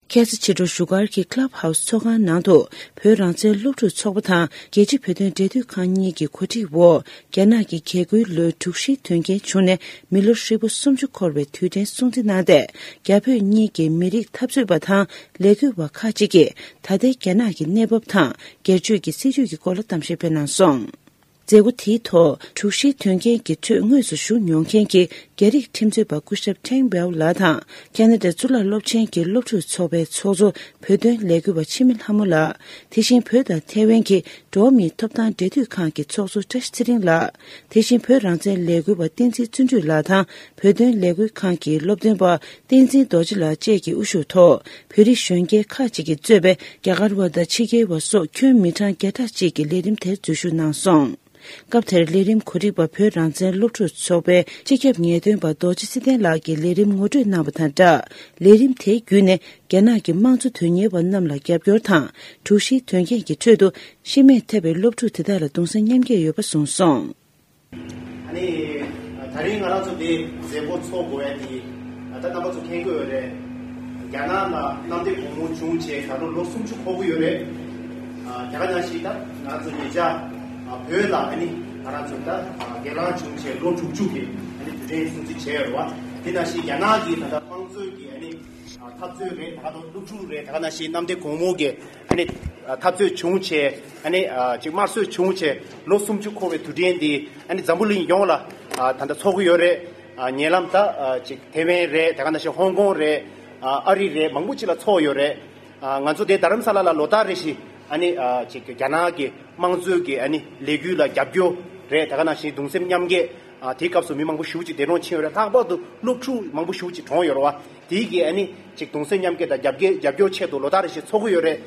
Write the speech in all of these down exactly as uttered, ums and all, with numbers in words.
ཁ་སང་ཕྱི་དྲོ་བཞུགས་སྒར་གྱི་Club House་ཚོགས་ཁང་ནང་དུ་བོད་རང་བཙན་སློབ་ཕྲུག་ཚོགས་པ་དང་རྒྱལ་སྤྱིའི་བོད་དོན་འབྲེལ་མཐུད་ཁང་གཉིས་ཀྱི་གོ་སྒྲིག་འོག་རྒྱ་ནག་གི་རྒྱལ་སྒོའི་ལོའི་དྲུག་བཞིའི་དོན་རྐྱེན་བྱུང་ནས་མི་ལོ་ཧྲིལ་པོ་སུམ་ཅུ་འཁོར་བའི་དུས་དྲན་སྲུང་བརྩི་གནང་སྟེ། རྒྱ་བོད་གཉིས་ཀྱི་མི་རིགས་འཐབ་རྩོད་པ་དང་ལས་འགུལ་བ་ཁག་ཅིག་གིས་ད་ལྟའི་རྒྱ་ནག་གི་གནས་བབ་དང་སྒེར་གཅོད་ཀྱི་སྲིད་བྱུས་ཀྱི་སྐོར་ལ་གཏམ་བཤད་སྤེལ་གནང་སོང་། མཛད་སྒོ་དེའི་ཐོག་དྲུག་བཞིའི་དོན་རྐྱེན་གྱི་ཁྲོད་དངོས་སུ་ཞུགས་མྱོང་མཁན་གྱི་རྒྱ་རིགས་ཁྲིམས་རྩོད་པ་སྐུ་ཞབས་ཁྲེང་བེའོ་ལགས་དང་ཁ་ན་ཌའི་གཙུག་ལག་སློབ་ཆེན་གྱི་སློབ་ཕྲུག་ཚོགས་པའི་ཚོགས་གཙོ་བོད་དོན་ལས་འགུལ་བ་འཆི་མེད་ལྷ་མོ་ལགས། དེ་བཞིན་བོད་དང་ཐའེ་ཝན་གྱི་འགྲོ་བ་མིའི་ཐོབ་ཐང་འབྲེལ་མཐུད་ཁང་གི་ཚོགས་གཙོ་བཀྲ་ཤིས་ཚེ་རིང་ལགས། དེ་བཞིན་བོད་རང་བཙན་ལས་འགུལ་བ་བསྟན་འཛིན་བརྩོན་འགྲུས་ལགས་དང་བོད་དོན་ལས་འགུལ་ཁང་གི་སློབ་སྟོན་པ་བསྟན་འཛིན་རྡོ་རྗེ་ལགས་བཅས་ཀྱི་དབུ་བཞུགས་ཐོག་བོད་རིགས་གཞོན་སྐྱེས་ཁག་ཅིག་གིས་གཙོས་པའི་རྒྱ་གར་བ་དང་ཕྱི་རྒྱལ་བ་སོགས་ཁྱོན་མི་གྲངས་བརྒྱ་ཕྲག་ཅིག་གིས་ལས་རིམ་དེར་འཛུལ་ཞུགས་གནང་སོང་། སྐབས་དེར་ལས་རིམ་གོ་སྒྲིག་པ་བོད་རང་བཙན་སློབ་ཕྲུག་ཚོགས་པའི་སྤྱི་ཁྱབ་ངེས་སྟོན་པ་རྡོ་རྗེ་ཚེ་བརྟན་ལགས་ཀྱིས་ལས་རིམ་ངོ་སྤྲོད་གནང་བ་དང་སྦྲགས། ལས་རིམ་དེའི་བརྒྱུད་ནས་རྒྱ་ནག་གི་དམངས་གཙོ་དོན་གཉེར་བ་རྣམས་ལ་རྒྱབ་སྐྱོར་དང་། དྲུག་བཞིའི་དོན་རྐྱེན་གྱི་ཁྲོད་དུ་ཤི་རྨས་ཐེབས་པའི་སློབ་ཕྲུག་དེ་དག་ལ་གདུང་སེམས་མཉམ་སྐྱེད་ཡོད་པ་གསུངས་སོང་། ཨ་ནི། ད་རིང་ང་རང་ཚོ་འདི་མཛད་སྒོ་ཚོགས་དགོས་ཡ་དེ། ད་རྣམ་པ་ཚོ་མཁྱེན་གྱི་ཡོད་རེད། རྒྱ་ནག་ལ་གནམ་བདེ་སྒོ་མོ་བྱུང་བྱས་ད་ལོ་ལོ་སུམ་ཅུ་འཁོར་གྱི་ཡོད་རེད། ཨ། དེ་ག་ནང་བཞིན་ད་ང་རང་ཚོ་ཉེ་ཆར་བོད་ལ་ཨ་ནི་ང་རང་ཚོ་ད་སྒེར་ལངས་བྱུང་བྱས་ལོ་དྲུག་ཅུ་གི་ཨ་ནི་དུས་དྲན་སྲུང་བརྩི་བྱས་ཡོད་རེད་བ། དེ་ནང་བཞིན་རྒྱ་ནག་གི་ད་ལྟ་དམངས་གཙོའི་གི་ཨ་ནི་འཐབ་རྩོད་རེད། ད་ག་དང་སློབ་ཕྲུག་རེད། ད་ག་ནང་བཞིན་གནམ་བདེ་སྒོ་མོ་གི་ཨ་ནི་འཐབ་རྩོད་བྱུང་བྱས་ཨ་ནི་ཅིག་དམར་གསོད་བྱུང་བྱས་ལོ་སུམ་ཅུ་འཁོར་བའི་དུས་དྲན་འདི་ཨ་ནི་འཛམ་བུ་གླིང་ཡོངས་ལ་ད་ལྟ་ཚོགས་ཀྱི་ཡོད་རེད། ཉེ་ལམ་ད་ཅིག་ཐེ་ཝན་རེད། ད་ག་ནང་བཞིན་ཧོང་ཀོང་རེད། ཨ་རི་རེད། མང་པོ་ཅིག་ལ་ཚོགས་ཡོད་རེད། ང་ཚོ་དེ་རྡ་རམ་ས་ལ་ལ་ལོ་ལྟར་རེ་བཞིན་ཨ་ནི་ཅིག་རྒྱ་ནག་གི་དམངས་གཙོའི་གི་ཨ་ནི་ལས་འགུལ་ལ་རྒྱབ་སྐྱོར་རེད། ད་ག་ནང་བཞིན་གདུང་སེམས་མཉམ་སྐྱེད། ཨ། དེའི་སྐབས་སུ་མི་མང་པོ་ཞེ་པོ་ཅིག་འདས་གྲོངས་ཕྱིན་ཡོད་རེད། ལྷག་པར་དུ་སློབ་ཕྲུག་མང་པོ་ཞེ་པོ་ཅིག་གྲོངས་ཡོད་རེད་བ། དེའི་གི་ཨ་ནི་ཅིག་གདུང་སེམས་མཉམ་སྐྱེད་དང་རྒྱབ་སྐྱེད་རྒྱབ་སྐྱོར་ཆེད་དུ་ལོ་ལྟར་རེ་བཞིན་ཚོགས་ཀྱི་ཡོད་རེད།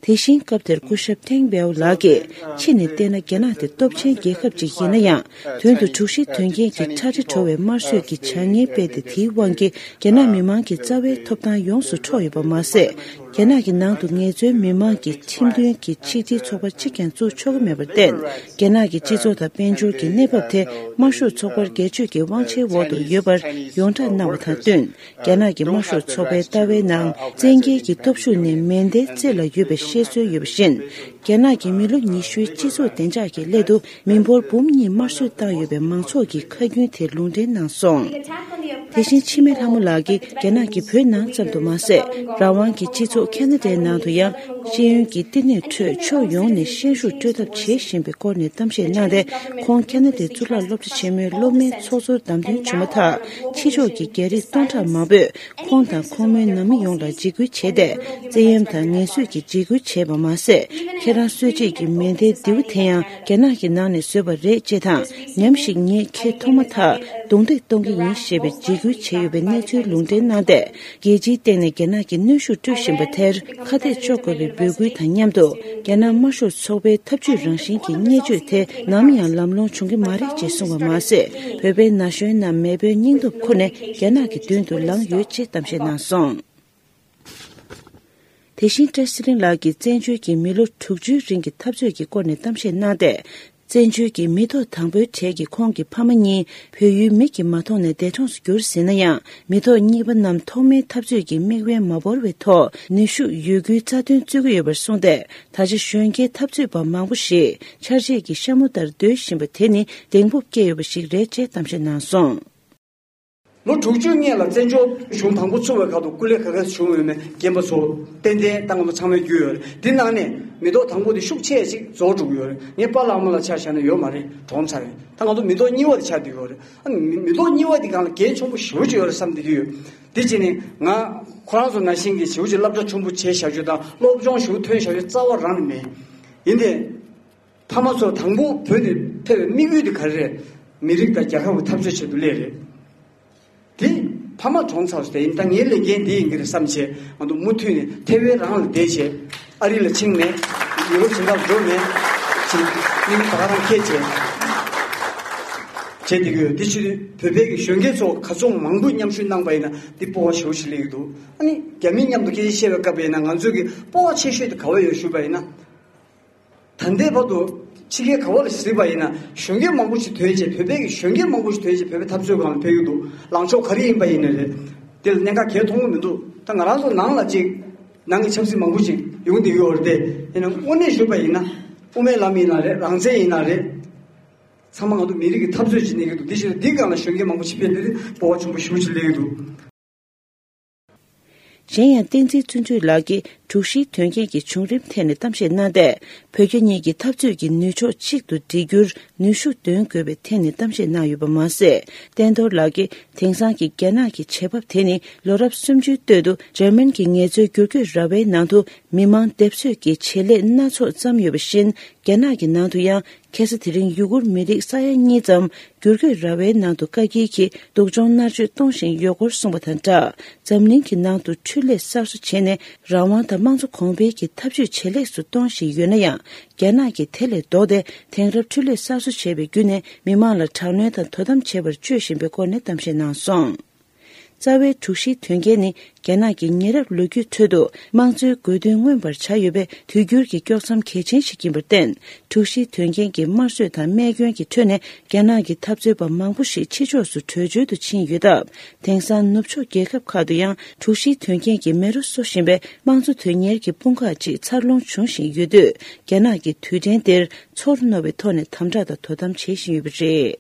དེ་བཞིན་སྐབས་དེར་སྐུ་ཞབས་ཐེང་བེའོ་ལགས་ཀྱིས་ཕྱི་ནས་བལྟས་ན་རྒྱ་ནག་དེ་སྟོབས་ཆེན་རྒྱལ་ཁབ་ཅིག་ཡིན་ན་ཡང་དོན་དུ་དྲུག་བཞི་དོན་རྐྱེན་གྱི་ཁྲ་ཁྲ་བྲོ་བའི་དམར་གསོད་ཀྱི་བྱ་ངན་སྤེལ་ཏེ། དེའི་དབང་གིས་རྒྱ་ནག་མི་མང་གི་རྩ་བའི་ཐོབ་ཐང་ཡོངས་སུ་འཕྲོག་ཡོད་པ་མ་ཟད། རྒྱ་ནག་གི་ནང་དུ་ངལ་རྩོལ་མི་མང་གི་ཁྲིམས་མཐུན་གྱི་ཆིག་སྒྲིལ་ཚོགས་པ་གཅིག་ཀྱང་བཙུགས་ཆོག་གི་མེད་པར་བརྟེན། རྒྱ་ནག་གི་སྤྱི་ཚོགས་དང་དཔལ་འབྱོར་གྱི་གནས་བབ་དེ་དམར་ཤོག་ཚོགས་པར་སྒེར་གཅོད་ཀྱི་དབང་ཆའི་འོག་ཏུ་ཡོད་པར་ཡོངས་གྲགས་གནང་བ་དང་བསྟུན། རྒྱ་ནག་གི་དམར་ཤོག་ཚོགས་པའི་ལྟ་བའི་ནང་བཙན་རྒྱལ་གྱི་སྟོབས་ཤུགས་ནི་མེ་མདའི་རྩེ་ལ་ཡོད་པའི་བཤད་སྲོལ་ཡོད་པ་བཞིན། རྒྱ་ནག་གི་མི་ལོ་ཉི་ཤུའི་སྤྱི་ཚོགས་བདེ་འཇགས་ཀྱི་སླད་དུ་མི་འབོར་འབུམ་གཉིས་དམར་གསོད་བཏང་ཡོད་པའི་མང་ཚོགས་ཀྱི་ཁ་རྒྱུན་དེ་ལུང་འདྲེན་གནང་སོང་། དེ་བཞིན་འཆི་མེད་ལྷ་མོ་ལགས་ཀྱིས་རྒྱ་ནག་གིས་བོད་ནང་ཙམ་དུ་མ་ཟད། རང་དབང་གི་སྤྱི་ཚོགས་ཁ་ན་ཌའི་ནང་དུ་ཡང་ཤེས་ཡོན་གྱི་བསྟི་གནས་ཁྲོད་ཕྱོགས་ཡོངས་ནས་ཤན་ཤུགས་སྤྲོད་ཐབས་བྱེད་བཞིན་པའི་སྐོར་ནས་གཏམ་བཤད་གནང་སྟེ། ཁོང་ཁ་ན་ཌའི་གཙུག་ལག་སློབ་གྲྭ་ཆེན་མོའི་སློབ་མའི་ཚོགས་གཙོར་བདམས་ཐོན་བྱུང་མ་ཐག་ཕྱི་ཕྱོགས་ཀྱི་རྒྱ་རིགས་སྟོང་ཕྲག་མང་པོས་ཁོང་དང་ཁོང་མོའི་ནང་མི་ཡོངས་ལ་འཇིགས་སྐུལ་བྱས་ཏེ། བཙན་གཡེམ་དང་ངན་གསོད་ཀྱི་འཇིགས་སྐུལ་བྱས་པ་མ་ཟད། ཁྱེད་རང་གསོད་བྱེད་ཀྱི་མེ་མདའི་མདེའུ་དེ་ཡང་རྒྱ་ནག་གི་ནང་ནས་བཟོས་པ་རེད་ཅེས་དང་། ཉམས་ཞིག་ངས་ཁྱེད་མཐོང་མ་ཐག་རྡུང་རྡེག་གཏོང་གི་ཡིན་ཞེས་པའི་འཇིགས་སྐུལ་བྱས་ཡོད་པའི་གནས་ཚུལ་ལུང་འདྲེན་གནང་སྟེ། རྒྱལ་སྤྱིའི་སྟེང་ནས་རྒྱ་ནག་གིས་གནོན་ཤུགས་སྤྲོད་བཞིན་པ་དེར་ཁ་གཏད་གཅོག་དགོས་པའི་འབོད་སྐུལ་དང་མཉམ་དུ། རྒྱ་ནག་དམར་ཤོག་ཚོགས་པའི་ཐབས་ཇུས་རང་བཞིན་གྱི་བརྙས་བཅོས་དེ་ནམ་ཡང་ལམ་ལྷོང་བྱུང་གི་མ་རེད་ཅེས་གསུངས་པ་མ་ཟད། བོད་པའི་ན་གཞོན་རྣམས་མེས་པོའི་སྙིང་སྟོབས་ཁུར་ནས་རྒྱ་ནག་གི་མདུན་དུ་ལངས་ཡོད་ཅེས་གཏམ་བཤད་གནང་སོང་། དེ་བཞིན་བཀྲ་ཤིས་ཚེ་རིང་ལགས་ཀྱིས་བཙན་བྱོལ་གྱི་མི་ལོ་དྲུག་ཅུའི་རིང་གི་འཐབ་རྩོད་ཀྱི་སྐོར་ནས་གཏམ་བཤད་གནང་སྟེ། བཙན་བྱོལ་གྱི་མི་ཐོག་དང་པོའི་གྲས་ཀྱི་ཁོང་གི་ཕ་མ་གཉིས་བོད་ཡུལ་མིག་གིས་མ་མཐོང་ནས་འདས་གྲོངས་སུ་གྱུར་ཟིན་ན་ཡང་། མི་ཐོག་གཉིས་པ་རྣམས་ཐོག་མའི་འཐབ་རྩོད་ཀྱི་མིག་དབང་མ་བོར་བའི་ཐོག་ནུས་ཤུགས་ཡོད་རྒུས་རྩ་དོན་རྩོད་ཀྱི་ཡོད་པར་གསུངས་ཏེ། ད་ཆ་གཞོན་སྐྱེས་འཐབ་རྩོད་པ་མང་པོ་ཞིག་ཆར་རྗེས་ཀྱི་ཤ་མོ་ལྟར་སྡོད་བཞིན་པ་དེ་ནི་གདེང་སྤོབས་སྐྱེ་ཡོད་པ་ཞིག་རེད་ཅེས་གཏམ་བཤད་གནང་སོང་། ལོ་དྲུག་ཅུ་སྔོན་ལ་བཙན་བྱོལ་གཞུང་དང་པོ་ཚུགས་པའི་སྐབས་སུ་སྐུ་ལས་ཁ་ཁ་བྱུང་ཡོད་མེད་རྒན་པ་ཚོ་ཏན་ཏན་ད་ང་ཚོ་ཚང་མས་རྒྱུས་ཡོད་རེད། འདི་ནང་ནས་མི་ཐོག་དང་པོ་དེ་ཤུགས་ཆེ་ཞིག་རྫོགས་འགྲོ་གི་ཡོད་རེད། ངའི་པཱ་ལགས་ཨ་མ་ལགས་ཆ་བཞག་ན་ཡོད་མ་རེད། གྲོངས་ཚར་རེད། ད་ང་ཚོ་མི་ཐོག་གཉིས་པ་དེ་ཆགས་བསྡད་ཡོད་རེད། ཨ་ནི་མི་མི་ཐོག་གཉིས་པ་དེ་སྒང་ལ་འགན་ཆེན་པོ་ཞེ་པོ་ཅིག་ཡོད་རེད་བསམ་བསྡད་ཀྱི་ཡོད། དེ་བྱས་ནས་ང་ཁོ་རང་ཚོ་ནང་བཞིན་གྱི་ཞེ་པོ་ཅིག་སློབ་གྲྭ་ཆེན་པོ་བྱས་བཞག་རྒྱུ་དང་སློབ་སྦྱོང་ཞེ་པོ་ཐོན་བཞག་རྒྱུ་རྩ་བ་རང་ནས་མེད། ཡིན་ཏེ། ཕ་མ་ཚོ་དང་པོ་བོད་དེ་ཕེབས་པའི་དམིགས་ཡུལ་དེ་ག་རེ་རེད། མི་རིགས་དང་རྒྱལ་ཁབ་ཀྱི་འཐབ་རྩོད་ཆེད་དུ་སླེབས་རེད། དེ་ཕ་མ་གྲོངས་ཚར་སོང་། དེ་ཡིན་ད་ངའི་ལས་འགན་འདི་ཡིན་གྱི་རེད་བསམ་བྱས་ང་ཚོ་མུ་མཐུད་ནས་ཐེ་ཝན་རང་ལ་བསྡད་བྱས་ཨ་རི་ལ་ཕྱིན་མེད། ཡུ་རོབ་གཞན་དག་འགྲོ་མེད། ཕྱིན་མིག་ད་ག་རང་ཁྱེད་བྱས་བྱས་བསྡད་ཀྱི་ཡོད། དེ་བྱེད་དུས་བོད་པའི་གི་གཞོན་སྐྱེས་ཚོ་ག་ཚོད་མང་པོས་མཉམ་ཞུགས་གནང་པ་ཡིན་ན་འདི་སྤོབས་པ་ཞེ་པོ་ཞིག་སླེབས་ཀྱི་འདུག་ཨ་ནི་རྒྱ་མིའི་མཉམ་དུ་སྐད་ཆ་བཤད་པའི་སྐབས་ཡིན་ན་ང་ཚོས་གི་སྤོབས་པ་ཆེ་ཤོས་དེ་ག་བ་ཡོད་ཞུས་པ་ཡིན་ན། ད་ལྟའི་བར་དུ་ཕྱི་རྒྱལ་ག་བ་ལ་གཟིགས་པ་ཡིན་ན་གཞོན་སྐྱེས་མང་པོ་ཞིག་ཐོན་བྱས། བོད་པའི་གི་གཞོན་སྐྱེས་མང་པོ་ཞིག་ཐོན་བྱས་བོད་པའི་འཐབ་རྩོད་སྒང་ལ་ཕེབས་ཀྱི་འདུག་ལངས་ཕྱོགས་ག་རེ་ཡིན་པ་ཡིན་ན་རེད། དེ་ལ་གནད་འགག་གང་ཡང་མཐོང་གི་མི་འདུག་ད་ང་རང་ཚོ་ནང་ལ་ཅིག་ནང་གི་ཆབ་སྲིད་མང་པོ་ཅིག་ཡོང་བསྡད་ཡོད་རེད་དེ། ཡིན་ན་དངོས་གནས་ཞུས་པ་ཡིན་ན། དབུ་མའི་ལམ་ཡིན་ན་རེད། རང་བཙན་ཡིན་ན་རེད། ཚང་མ་ང་ཚོ་མི་རིགས་ཀྱི་འཐབ་རྩོད་ཅིག་གནས་ཀྱི་འདུག་དེ་ཕྱིར་འདི་སྒང་ལ་གཞོན་སྐྱེས་མང་པོ་ཕྱིན་པས་འདི་སྤོབས་པ་ཆེན་པོ་ཞེ་པོ་ཅིག་སླེབས་ཀྱི་འདུག་གཞན་ཡང་བསྟན་འཛིན་བརྩོན་འགྲུས་ལགས་ཀྱིས་དྲུག་བཞིའི་དོན་རྐྱེན་གྱི་བྱུང་རིམ་ཐད་ནས་གཏམ་བཤད་གནང་སྟེ། བོད་རྒྱ་གཉིས་ཀྱི་འཐབ་རྩོད་ཀྱི་ནུས་ཕྱོགས་གཅིག་ཏུ་སྒྲིལ་རྒྱུར་ནུས་ཤུགས་འདོན་དགོས་པའི་ཐད་ནས་གཏམ་བཤད་གནང་ཡོད་པ་མ་ཟད། བསྟན་རྡོར་ལགས་ཀྱིས་དེང་སང་གི་རྒྱ་ནག་གི་བྱེད་བབ་དེ་ནི་ལོ་རབས་སུམ་ཅུའི་སྟོད་དུ་འཇར་མན་གྱི་ངལ་རྩོལ་བསྒྱུར་བཀོད་ར་བའི་ནང་དུ་མི་མང་སྡེབ་གསོད་ཀྱི་བྱེད་ལས་སྣ་ཚོགས་བརྩམས་ཡོད་པ་བཞིན། རྒྱ་ནག་གི་ནང་དུ་ཡང་ཁ་སང་དེ་རིང་ཡུ་གུར་མི་རིགས་ས་ཡ་གཉིས་ཙམ་བསྒྱུར་བཀོད་ར་བའི་ནང་དུ་བཀའ་འགྱེལ་གྱིས་སྡུག་སྦྱོང་མནར་གཅོད་གཏོང་བཞིན་ཡོད་སྐོར་གསུངས་པ་དང་སྦྲགས། འཛམ་གླིང་གི་ནང་དུ་འཕྲུལ་ལས་གསར་བཟོ་བྱས་ནས་རང་དབང་དང་དམངས་གཙོ་གོང་འཕེལ་གྱི་འཐབ་ཇུས་ཇེ་ལེགས་སུ་གཏོང་བཞིན་ཡོད་ན་ཡང་། རྒྱ་ནག་གིས་དེ་ལས་ལྡོག་སྟེ་དེང་རབས་འཕྲུལ་ལས་གསར་བཟོ་བྱས་པའི་བརྒྱུད་ནས་མི་མང་ལ་དྲག་གནོན་དང་དོ་དམ་བྱེད་པར་སྤྱོད་བཞིན་པའི་སྐོར་ནས་གཏམ་བཤད་གནང་སོང་། རྩ་བའི་དྲུག་བཞིའི་དོན་རྐྱེན་ནི་རྒྱ་ནག་གི་ཉེ་རབས་ལོ་རྒྱུས་ཁྲོད་དུ་དམངས་གཙོའི་དགོས་འདུན་མངོན་པར་བྱ་ཡོད་པའི་དུས་འགྱུར་གྱི་དཀྱོག་མཚམས་གལ་ཆེན་ཞིག་ཡིན་པར་བརྟེན། དྲུག་བཞིའི་དོན་རྐྱེན་གྱི་དམར་གསོད་དང་རྨས་སྐྱོན་གྱི་ཁྲོད་ནས་རྒྱ་ནག་གི་འཐབ་རྩོད་པ་མང་པོ་ཞིག་ཕྱི་ཕྱོགས་སུ་བྲོས་བྱོལ་དུ་ཕྱིན་ཡོད་སྟབས། དེང་སང་ནུབ་ཕྱོགས་རྒྱལ་ཁབ་ཁག་ཏུ་ཡང་དྲུག་བཞིའི་དོན་རྐྱེན་གྱིས་མེ་རོ་གསོ་བཞིན་པའི་དམངས་གཙོ་དོན་གཉེར་གྱི་དཔུང་ཁག་ཅིག་འཚར་ལོངས་འབྱུང་བཞིན་ཡོད་དུས། རྒྱ་ནག་གིས་དུས་དྲན་འདིར་ཚོར་རྣོ་བའི་ཐོག་ནས་དམ་དྲག་དང་དོ་དམ་བྱེད་བཞིན་ཡོད་པ་རེད།